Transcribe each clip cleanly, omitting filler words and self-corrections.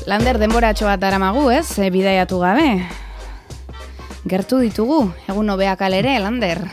Lander denboratxo bat daramagu, ez? Bidaiatu gabe. Gertu ditugu, egun hobeak alere, Lander.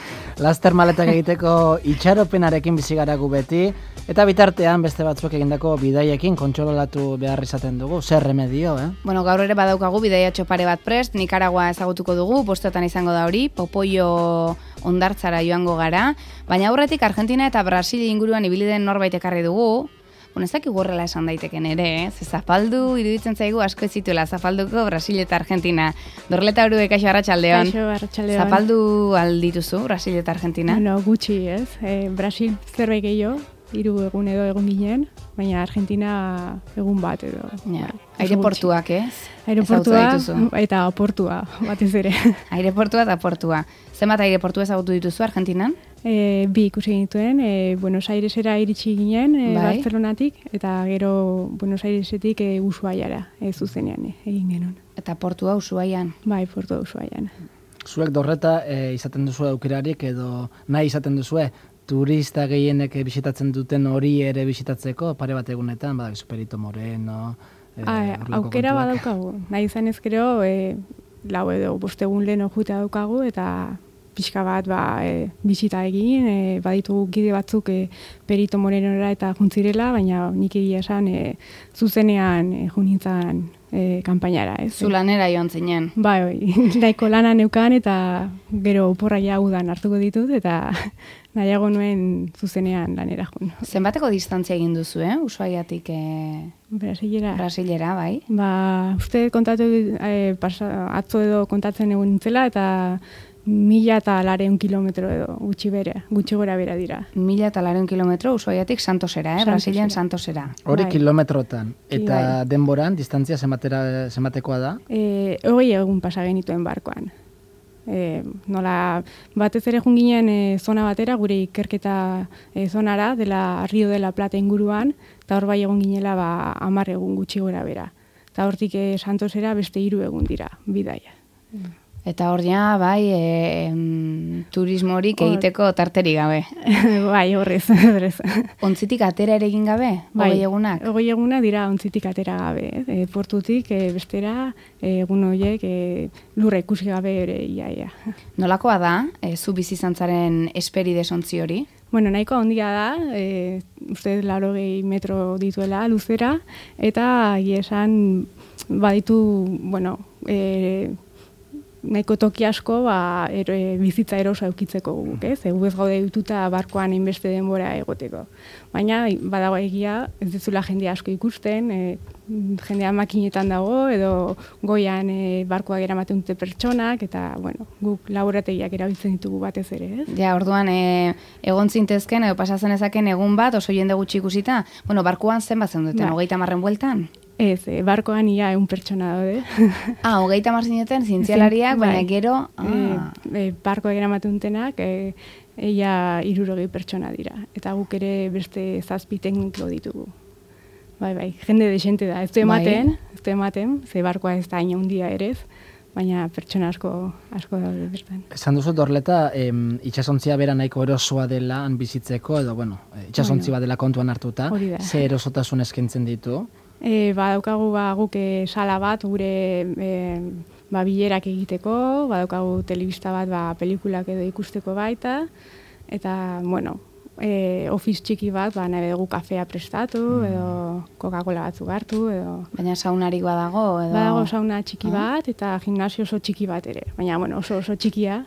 Laster maletak egiteko itxaropenarekin bizigaragu beti, eta bitartean beste batzuk egindako bidaiekin kontsolatu behar izaten dugu. Zer remedio, Bueno, gaur ere badaukagu bidaiatxo pare bat prest, Nikaragua ezagutuko dugu, postoetan izango da hori, Popoio hondartzara joango gara, baina aurretik Argentina eta Brasil inguruan ibili den norbait ekarri dugu. Bueno, ez dakik horrela esan daiteken ere, ze zapaldu iruditzen zaigu asko ez zituela zapalduko Brasil eta Argentina. Dorleta Urue, kaixo arratsaldeon. Kaixo arratsaldeon. Zapaldu aldituzu Brasil eta Argentina? Bueno, gutxi, ez? Brasil zerbait gehiago, 3 egun edo egon ginen, baina Argentina egun bat edo. Ja. Aireportuak, ez? Aireportua eta portua, batez ere. Aireportua eta portua. Zenbat aireportu ezagutu dituzu Argentinan? 2 ikusi genituen, Buenos Airesera iritsi ginen, Barcelonatik, eta gero Buenos Airesetik Ushuaiara, zuzenean egin genuen. Eta portua Ushuaian? Bai, portua Ushuaian. Zuek Dorreta izaten duzu aukerarik edo nahi izaten duzue turista gehienek bisitatzen duten hori ere bisitatzeko pare bat egunetan, badak Perito Moreno... aukera badaukagu, nahi izan ez gero, 4 edo 5 egun lehen jutea daukagu, eta pixka bat bisita egin, baditugu gide batzuk Perito Morenora eta juntzirela, baina nik egia esan zuzenean junintzan kanpainara. Zu lanera joan zinen? Bai, nahiko lana neukan eta gero oporraia udan hartuko ditut eta nahiago nuen zuzenean lanera jun. Zenbateko distantzia egin duzu, Ushuaiatik Brasilera, bai? Uste kontatu atzo edo kontatzen egun nintzela eta 1.200 kilometro edo gutxi gora bera dira. 1.200 kilometro Ushuaiatik Santosera, Brasilen Santosera. Hori kilometrotan. Eta denboran, distantzia zenbatekoa da? 20 egun pasa genituen barkoan. Nola batez ere jun ginen zona batera, gure ikerketa zonara, dela Rio de la Plata inguruan, eta hor bai egon ginela 10 egun gutxi gora bera. Eta hortik Santosera beste 3 egun dira, bidaia. Eta hor ja, bai, turismorik egiteko tarterik gabe. Bai, horrez. Ontzitik atera ere egin gabe? Bai, 20 egunak? 20 eguna dira ontzitik atera gabe. Portutik bestera, egun horiek lurra ikusi gabe ere iaia. Nolakoa da, zu bizizantzaren esperi desontzi hori? Bueno, nahiko handia da, uste 80 metro dituela luzera, eta esan baditu, bueno, nahiko toki asko bizitza erosa eukitzeko guk, ez? Gu ez gaude dituta barkoan inbeste denbora egoteko. Baina badago egia, ez dezula jende asko ikusten, jendea makinetan dago, edo goian barkoak eramaten dute pertsonak, eta, bueno, guk laborategiak erabiltzen ditugu batez ere, ez? Ja, orduan, egon zintezken, edo pasatzen ezaken egun bat, oso jende gutxi ikusita, bueno, barkoan zenbat zeundeten, 30 bueltan? Ez, barkoan ia 1 pertsona daude. 30 zineten, zientzialariak, baina gero... Barkoak eramaten dutenak, ia 60 pertsona dira. Eta guk ere beste 7 tekniko ditugu. Bai, jende desente da. Ez du ematen, ze barkoa ez da hain handia ere ez, baina pertsona asko daude bertan. Esan duzu Dorleta, itsasontzia bera nahiko erosoa dela han bizitzeko, edo, itsasontzi bat dela kontuan hartuta, ze erosotasun eskaintzen ditu? Badaukagu guk sala bat gure bilerak egiteko, badaukagu telebista bat pelikulak edo ikusteko baita, eta, bueno, office txiki bat, nahi dugu kafea prestatu, edo Coca-Cola batzuk hartu, edo... Baina saunarik badago, edo... Badago sauna txiki bat, eta gimnasio oso txiki bat ere. Baina, bueno, oso txikia.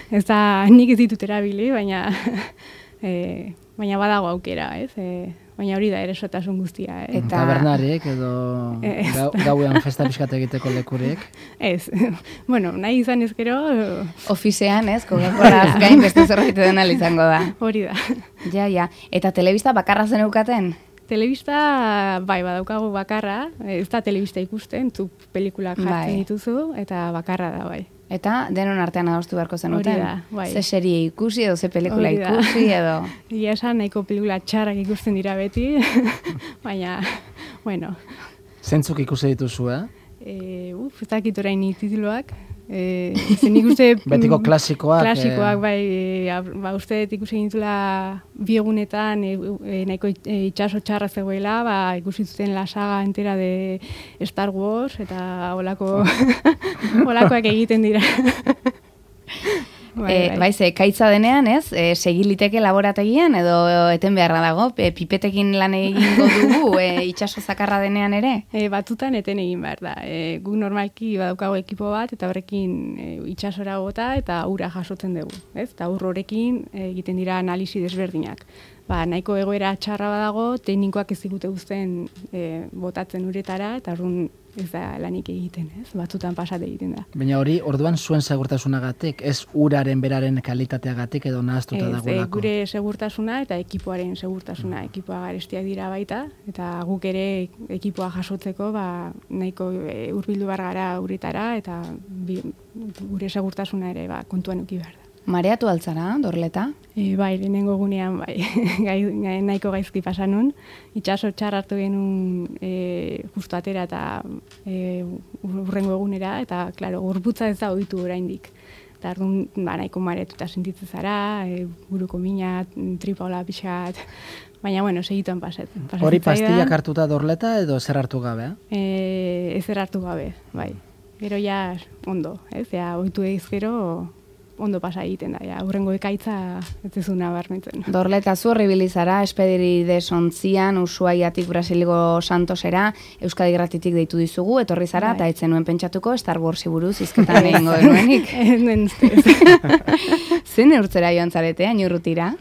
Ez da, nik ez ditut erabili, baina badago aukera, ez? Baina hori da erosotasun guztia. Eta tabernarik edo gauean festa pixkat egiteko lekurik? Ez. Bueno, nahi izan ez gero... Ofizean, ez? Coca-Colaz gain beste zerbait dena izango da. Hori da. Ja. Eta telebista bakarra zen eukaten? Telebista, badaukagu bakarra. Ez da telebista ikusten, zu pelikulak jartzen dituzu, eta bakarra da, bai. Eta denon artean adostu beharko zenuten? Hori da, bai. Ze serie ikusi edo, ze pelikula ikusi edo... Ia esan, nahiko pelikula txarrak ikusten dira beti, baina, bueno. Zentzuk ikusi dituzu, ez dakit orain tituluak, Zen ikuste... Betiko klasikoak. Klasikoak, uste ikusi gintula biegunetan nahiko itxaso txarra zegoela, ikusi zuten la saga entera de Star Wars, eta olakoak egiten dira. Kaitza denean, ez? Segiliteke laborategian edo eten beharra dago, pipetekin lan egingo dugu, itxaso zakarra denean ere? Batutan eten egin behar da. Gu normalki badaukago ekipo bat, eta horrekin itxasora gota eta ura jasotzen dugu. Eta horrekin egiten dira analisi desberdinak. Nahiko egoera txarra badago, teknikoak ez digute guztien botatzen uretara, eta orduan ez da lanik egiten, ez? Batzutan pasate egiten da. Baina hori, orduan zuen segurtasunagatik, ez uraren beraren kalitateagatik edo nahaztuta dagoelako? Gure segurtasuna eta ekipoaren segurtasuna. Ekipoa garestiak dira baita, eta guk ere ekipoa jasotzeko nahiko hurbildu behar gara uretara, eta gure segurtasuna ere kontuan eduki behar da. Mareatu altzara, Dorleta? Lehenengo gunean, nahiko gaizki pasanun. Itxaso txar hartu genuen justu atera eta urrengo egunera, eta, klaro, gorputza ez da ohitu oraindik. Eta arduan, nahiko mareatuta sentitzen zara, buruko mina, tripaula pixat, baina, segituan pasatzen. Hori pastillak hartuta Dorleta edo zer hartu gabe? Ezer hartu gabe, bai. Gero ja ondo, ez? Ohitu egiz gero ondo pasa egiten da, hurrengo ekaitza ez ezuna barmentzen. Dorleta, zu horribili zara, Espederide Sontzian, Ushuaiatik Brasilgo Santosera, Euskadi Gratitik deitu dizugu, etorri zara, eta etzen nuen pentsatuko Star Warsi buruz izketan egingo denuenik. Ez nuen ustez. Zen eurtzera joan zarete, ainurrutira?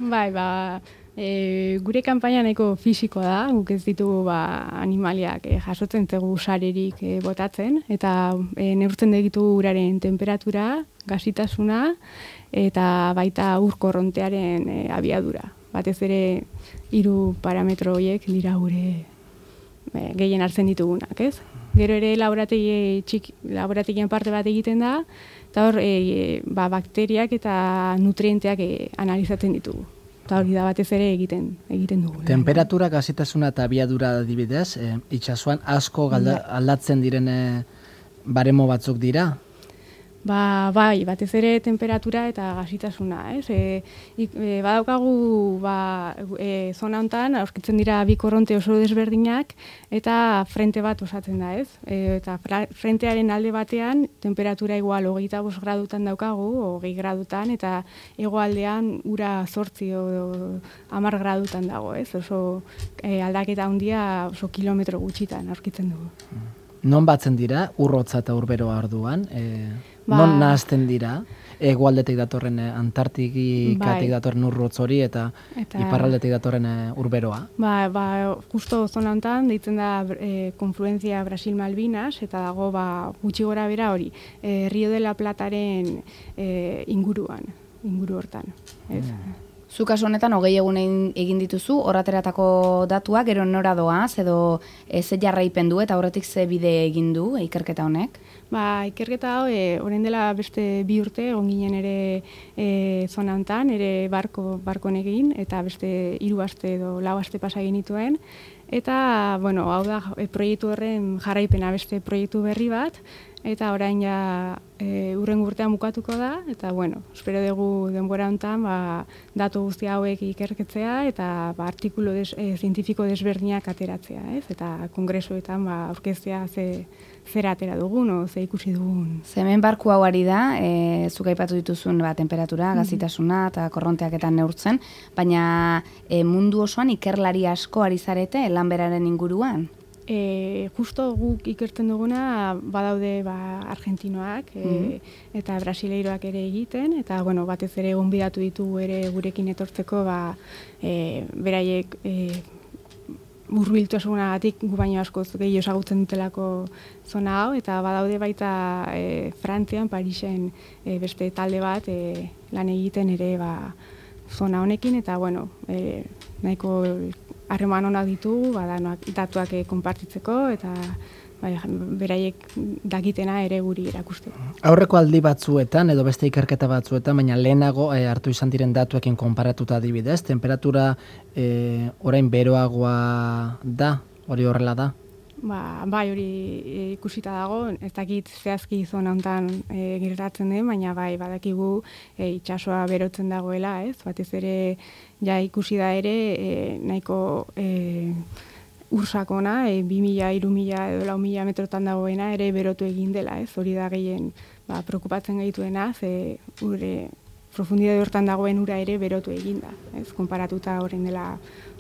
Gure kanpaina nahiko fisiko da, guk ez ditugu animaliak jasotzen zegu sarerik botatzen, eta neurtzen ditu uraren temperatura, gasitasuna, eta baita ur korrontearen abiadura. Batez ere 3 parametro horiek dira gure gehien hartzen ditugunak, ez? Gero ere laborategien parte bat egiten da, eta hor bakteriak eta nutrienteak analizatzen ditugu. Eta hori da batez ere egiten dugu. Temperatura, gazitasuna eta abiadura adibidez, itxasuan asko aldatzen diren baremo batzuk dira? Bai, batez ere temperatura eta gazitasuna, ez? Badaukagu zona honetan, aurkitzen dira bi korronte oso desberdinak, eta frente bat osatzen da, ez? Eta frentearen alde batean, temperatura igual 25 gradutan daukagu, 20 gradutan, eta hegoaldean ura 8 edo 10 gradutan dago, ez? Oso aldaketa handia oso kilometro gutxitan aurkitzen dugu. Non batzen dira, urrotza eta urberoa orduan? Non nahazten dira? Hegoaldetik datorren Antartikatik datorren urrotz hori eta iparraldetik datorren urberoa? Justo zona honetan, deitzen da konfluenzia Brasil-Malvinas, eta dago gutxi gora bera hori, Rio de la Plataren inguru hortan. Zu kasu honetan 20 egun egin dituzu, horrateratako datuak, gero nora doaz, edo ze jarraipen du eta horretik ze bide egin du ikerketa honek? Ikerketa hau, orain dela beste 2 urte, egon ginen ere zona honetan, ere barkon egin, eta beste 3 aste edo 4 aste pasa egin dituen. Eta, hau da, proiektu horren jarraipena beste proiektu berri bat, eta orain urrengo urtean bukatuko da, eta, espero dugu denbora honetan, datu guzti hauek ikerketzea, eta artikulu zientifiko desberdinak ateratzea, ez? Eta kongresuetan aurkeztea zer atera dugun, ze ikusi dugun. Hemen barku hau ari da, zuk aipatu dituzun temperatura, gazitasuna eta korronteaketan neurtzen, baina mundu osoan ikerlari asko ari zarete lanberaren inguruan? Justo guk ikertzen duguna badaude argentinoak eta brasileiroak ere egiten, eta batez ere gonbidatu ditugu ere gurekin etortzeko beraiek hurbiltasunagatik gu baino askoz gehiago ezagutzen dutelako zona hau, eta badaude baita Frantzian, Parisen beste talde bat lan egiten ere zona honekin, eta nahiko harreman onak ditugu, datuak konpartitzeko, eta beraiek dakitena ere guri erakusteko. Aurreko aldi batzuetan, edo beste ikerketa batzuetan, baina lehenago hartu izan diren datuekin konparatuta adibidez, temperatura orain beroagoa da, hori horrela da? Bai hori ikusita dago, ez dakit zehazki zona hontan gertatzen den, baina bai badakigu itsasoa berotzen dagoela, ez? Batez ere ja ikusi da ere nahiko ursakona, 2000, 3000 edo 4000 metrotan dagoena ere berotu egin dela, ez? Hori da gehien preokupatzen gaituena, ze profundidade hortan dagoen ura ere berotu egin da, ez? Konparatuta orain dela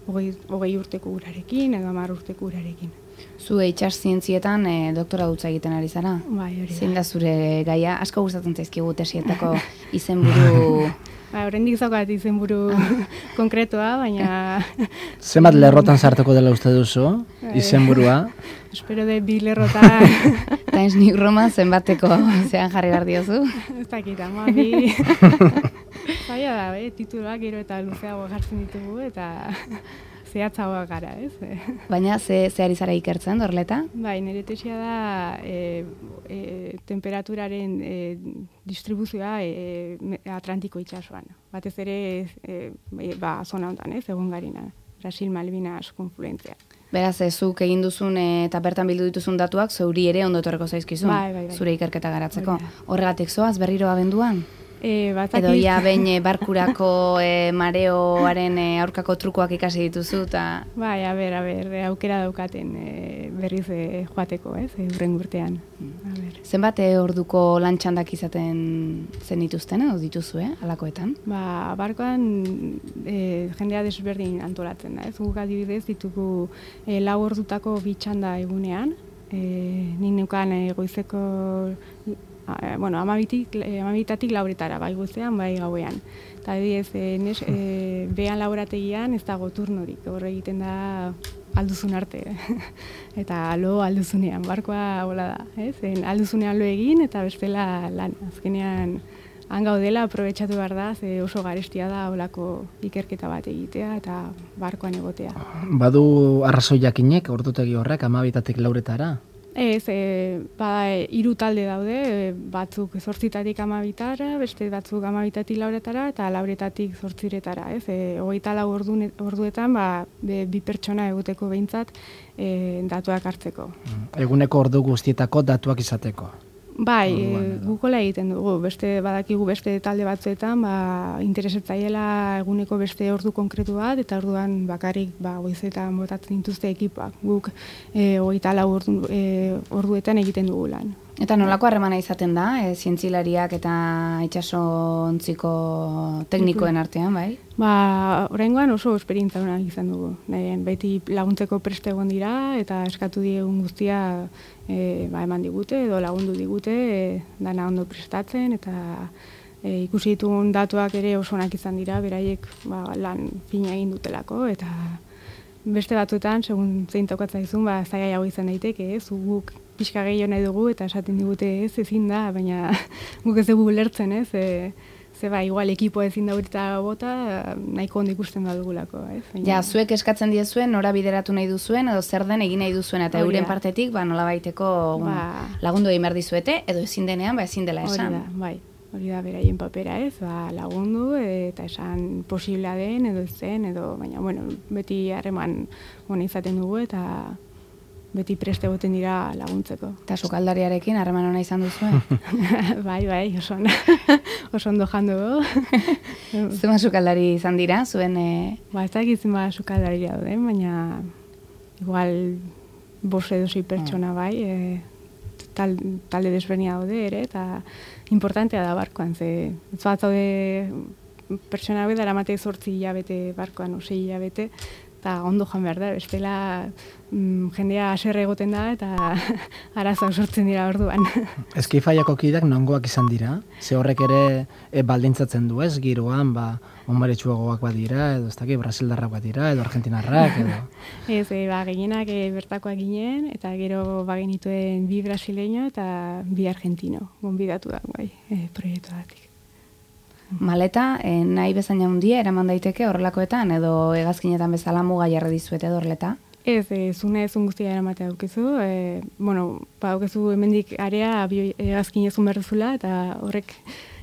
20 urteko urarekin edo 10 urteko urarekin. Zu itsas zientzietan doktora dutza egiten ari zara? Bai, hori da. Zein da zure gaia? Asko gustatzen zaizkigu tesietako izenburu... Oraindik zaukat izenburu konkretoa, baina... Zenbat lerrotan sartuko dela uste duzu, izenburua? Espero de 2 lerrotan... Times New Roman zenbateko zean jarri behar diozu? Ez dakit, ama, 2... Zaila da, tituluak gero eta luzeago jartzen ditugu, eta... zehatzagoa gara, ez? Baina ze ari zara ikertzen, Dorleta? Bai, nire tesia da temperaturaren distribuzioa Atlantiko itsasoan. Batez ere zona honetan, egon garina. Brasil, Malvinas, konfluentzia. Beraz, zuk egin duzun eta bertan bildu dituzun datuak zeuri ere ondo etorreko zaizkizun, bai. Zure ikerketa garatzeko. Horregatik zoaz berriro abenduan? Edo ja behin barkurako mareoaren aurkako trukoak ikasi dituzu eta... Bai, a ber, aukera daukaten berriz joateko, ez, urren urtean. Zenbat orduko lantxandak izaten zen dituzten, edo dituzu, alakoetan? Barkoan jendea desberdin antolatzen da, ez, guk adibidez ditugu 4 ordutako 2 txanda egunean, nik neukan goizeko... amabitatik lauretara, bai goizean, bai gauean. Eta behan laborategian ez dago turnorik, horre egiten da alduzun arte. Eta lo alduzunean, barkoa hola da. Alduzunean lo egin eta bestela lan. Azkenean, han gaudela, aprobetxatu behar da, oso garestia da holako ikerketa bat egitea eta barkoan egotea. Badu arrazoi jakinek, ordutegi horrek, amabitatik lauretara? Ez, 3 talde daude, batzuk 8-tatik 12-tara, beste batzuk 12-tatik 4-tara eta 4-tatik 8-retara. 24 orduetan 2 pertsona eguteko behintzat datuak hartzeko. Eguneko ordu guztietako datuak izateko? Bai, gukola egiten dugu, badakigu beste talde batzuetan interesetzaiela eguneko beste ordu konkretu bat, eta orduan bakarrik goizetan botatzen dituzte ekipak. Guk 24 orduetan egiten dugu lan. Eta nolako harremana izaten da, zientzilariak eta itsasontziko teknikoen artean, bai? Oraingoan oso esperientzia ona izan dugu. Beti laguntzeko preste egon dira eta eskatu diegun guztia eman digute edo lagundu digute dana ondo prestatzen eta ikusi ditugun datuak ere oso onak izan dira, beraiek lan fina egin dutelako eta beste batzuetan, segun zein tokatzaizun, zailago izan daiteke, guk pixka gehiago nahi dugu eta esaten digute ezin da, baina guk ez dugu lertzen, igual ekipo ezin da urita bota, nahiko ondo ikusten badugulako. Ja, zuek eskatzen diezuen, nora bideratu nahi duzuen, edo zer den egin nahi duzuen, eta euren partetik, nola baiteko lagundu egin behar dizuete, edo ezin denean, ezin dela esan. Hori da, beraien papera lagundu, eta esan posiblea den, edo zen, baina, beti harreman hona izaten dugu, eta beti preste goten dira laguntzeko. Eta sukaldariarekin harreman hona izan duzuen? Bai, oso ondo jandu dugu. Zuma sukaldari izan dira, zuen... Ez dakit zuma sukaldari dauden, baina igual 5 edo 6 pertsona bai, talde desbernia daude ere, eta importantea da barkoan, ez bat zaude pertsona hau daramate 8 hilabete barkoan, 6 hilabete, eta ondo joan behar da, bestela jendea haserre egoten da eta arazoak sortzen dira orduan. Eskifaiako kideak nongoak izan dira? Ze horrek ere baldintzatzen du ez, giroan, onbaretsuagoak badira, edo ez dakit, brasildarrak badira, edo argentinarrak, edo... Ez, gehienak bertakoak ginen, eta gero bagenituen 2 brasileño eta 2 argentino, gonbidatu da, proiektu datik. Maleta, nahi bezain handia eraman daiteke horrelakoetan, edo hegazkinetan bezala muga jarri dizuete Dorleta? Ez, zune ezun guztia eramatea daukezu. Daukezu hemendik area hegazkinezun behar duzula, eta horrek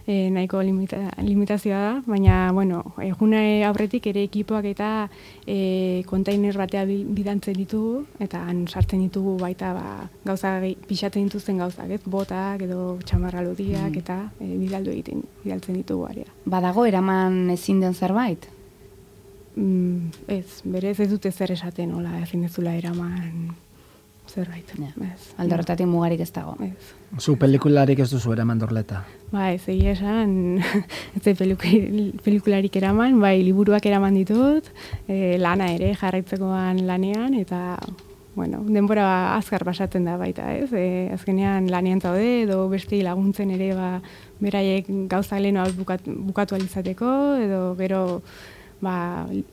nahiko limitazioa da, baina, bueno, egune aurretik ere ekipoak eta kontainer batea bidantzen ditugu, eta han sartzen ditugu baita gauza pixatzen dituzten gauzak, botak edo txamarra lodiak eta bidaltzen ditugu aria. Badago eraman ezin den zerbait? Ez, berez ez dute zer esaten, hola, ezin dezula eraman zerbait. Alde horretatik mugarik ez dago. Zu pelikularik ez duzu eraman Dorleta? Ba, ez egia esan, ez pelikularik eraman, bai, liburuak eraman ditut, lana ere jarraitzekoan lanean, eta, bueno, denbora azkar pasatzen da baita, ez? Azkenean lanean zaude, edo beste laguntzen ere, beraiek gauza lehenoak bukatu alizateko, edo gero,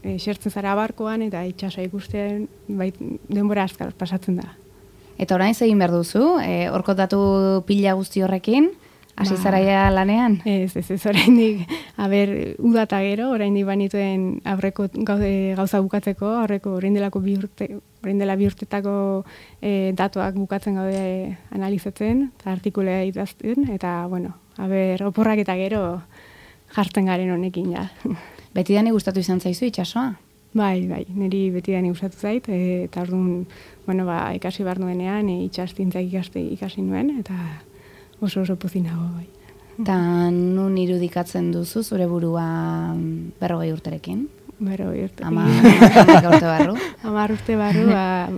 esertzen zara barkoan eta itxasoa ikusten, denbora azkar pasatzen da. Eta orain egin behar duzu, orkotatu pila guzti horrekin, hasi zaraia lanean? Ez, oraindik, udata gero, oraindik banituen aurreko gauza bukatzeko, aurreko orain dela bi urtetako datuak bukatzen gaude analizatzen, eta artikulea idazten, eta, bueno, oporrak eta gero jartzen garen honekin, ja. Betidani gustatu izan zaizu itxasoa? Bai, niri betidani gustatu zait, eta orduan, bueno, ikasi behar nuenean, itxastintzak ikasi nuen, eta oso pozinago, bai. Eta nun irudikatzen duzu zure burua 40 urterekin? 40 urterekin. 10 urte barru? 10 urte barru,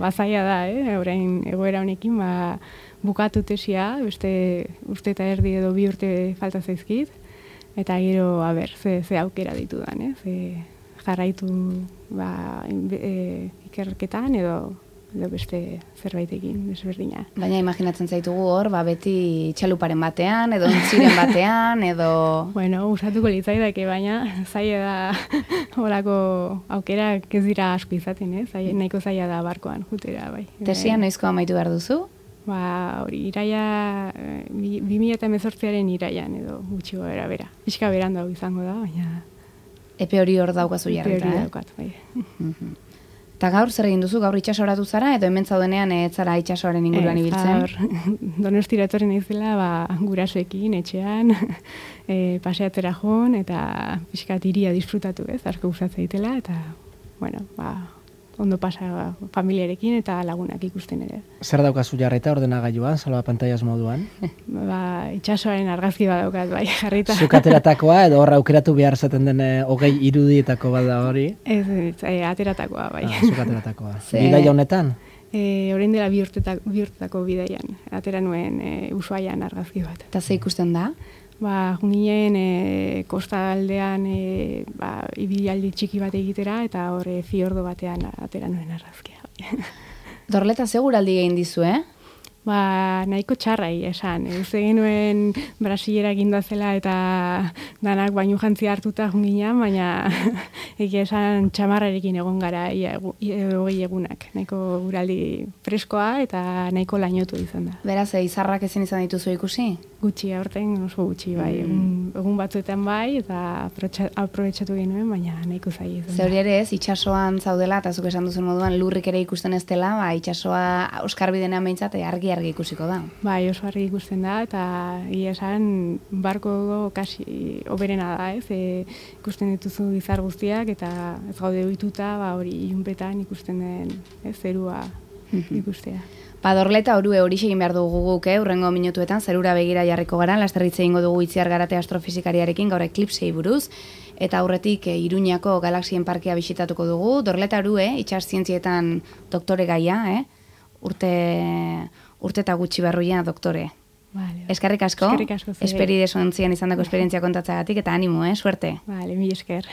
zaila da, orain egoera honekin, bukatu tesia, beste urte eta erdi edo 2 urte falta zaizkit, eta gero, ze aukera ditudan, jarraitu ikerketan edo beste zerbaitekin desberdina. Baina imaginatzen zaitugu hor, beti txaluparen batean, edo ontziren batean, edo... Bueno, usatuko litzaidake, baina zaila da horako aukerak ez dira asko izaten, nahiko zaila da barkoan jutera, bai. Tesia noizko amaitu behar duzu? Hori, iraia, 2018aren iraian edo gutxi goera bera. Pixka berandu izango da, baina... Epe hori hor daukazu jarrita, Epe hori daukat, bai. Eta gaur zer egin duzu, gaur itxasoratu zara, edo hemen zaudenean ez zara itxasoaren inguruan ibiltzen? Donostira etorri naizela, gurasoekin, etxean, paseatzera joan, eta pixkat iria disfrutatu, asko gustatzen ditela, eta, bueno, ondo pasa familiarekin eta lagunak ikusten ere. Zer daukazu jarrita ordenagailuan, salba pantailas moduan? Itxasoaren argazki bat daukat, bai, jarrita. Zukateratakoa edo horra aukeratu behar zaten den 20 irudietako bat da hori? Ez, ateratakoa, bai. Zukateratakoa. Bidaia honetan? Orain dela bi urtetako bidaian. Atera nuen Ushuaian argazki bat. Eta ze ikusten da? Ginen kostaldean ibilaldi txiki bat egitera, eta horre fiordo batean atera nuen argazkia. Dorleta seguraldi egin dizu, Nahiko txarrai esan. Ez egin nuen Brasilera eginda zela eta danak bainu jantzi hartuta junginan, baina egia esan txamarrarekin egon gara 20 egunak. Nahiko guraldi freskoa eta nahiko lainotu izan da. Beraz, izarrak ezin izan dituzu ikusi? Gutxi, aurten oso gutxi, bai. Egun batzuetan bai, eta aprobetxatu genuen, baina nahiko zaila izan da. Zeuri ere ez, itxasoan zaudela, eta zuk esan duzun moduan lurrik ere ikusten ez dela, itxasoa Oskarbidenean behintzat argi ikusiko da. Bai, oso argi ikusten da, eta esan barko kasi oberena da, ikusten dituzu izar guztiak, eta ez gaude ohituta, hori ilunpetan ikusten den zerua ikustea. Dorleta orue hori egin behar dugu guk, hurrengo minutuetan zerura begira jarriko gara, lasterritze egingo dugu Itziar Garate astrofizikariarekin gaur eklipsei buruz, eta aurretik Iruñako galaxien parkea bisitatuko dugu. Dorleta orue, itxas zientzietan doktore gaia, urte eta gutxi barruia doktore. Eskerrik asko, esperideso ontzian izandako esperientzia kontatzagatik, eta animo, suerte. Mil esker.